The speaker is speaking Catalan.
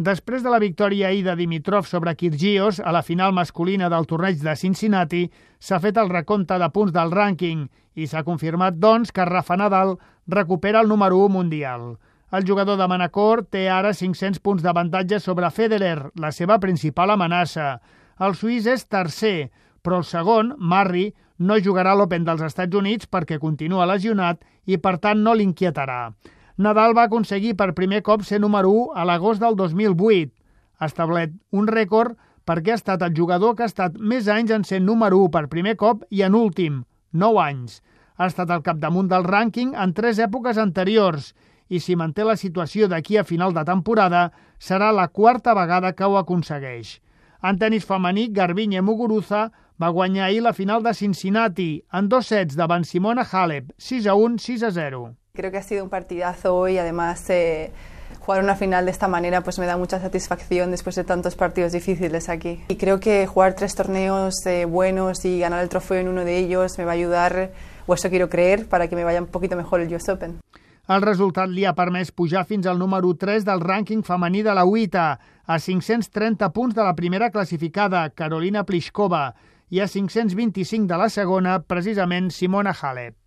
Després de la victòria ahir de Dimitrov sobre Kyrgios a la final masculina del torneig de Cincinnati, s'ha fet el recompte de punts del rànquing i s'ha confirmat, doncs, que Rafa Nadal recupera el número 1 mundial. El jugador de Manacor té ara 500 punts d'avantatge sobre Federer, la seva principal amenaça. El suís és tercer, però el segon, Murray, no jugarà a l'Open dels Estats Units perquè continua lesionat i, per tant, no l'inquietarà. Nadal va aconseguir per primer cop ser número 1 a l'agost del 2008. Ha establert un rècord perquè ha estat el jugador que ha estat més anys en ser número 1 per primer cop i en últim, 9 anys. Ha estat al capdamunt del rànquing en 3 èpoques anteriors i si manté la situació d'aquí a final de temporada serà la 4ª vegada que ho aconsegueix. En tenis femení, Garbiñe Muguruza va guanyar ahir la final de Cincinnati en 2 sets davant Simona Halep, 6-1, 6-0. Creo que ha sido un partidazo hoy, además jugar una final de esta manera pues me da mucha satisfacción después de tantos partidos difíciles aquí. Y creo que jugar 3 torneos buenos y ganar el trofeo en uno de ellos me va a ayudar, o eso quiero creer, para que me vaya un poquito mejor el US Open. El resultat li ha permès pujar fins al número 3 del rànquing femení de la UITA, a 530 punts de la primera classificada, Karolina Pliskova, i a 525 de la segona, precisament Simona Halep.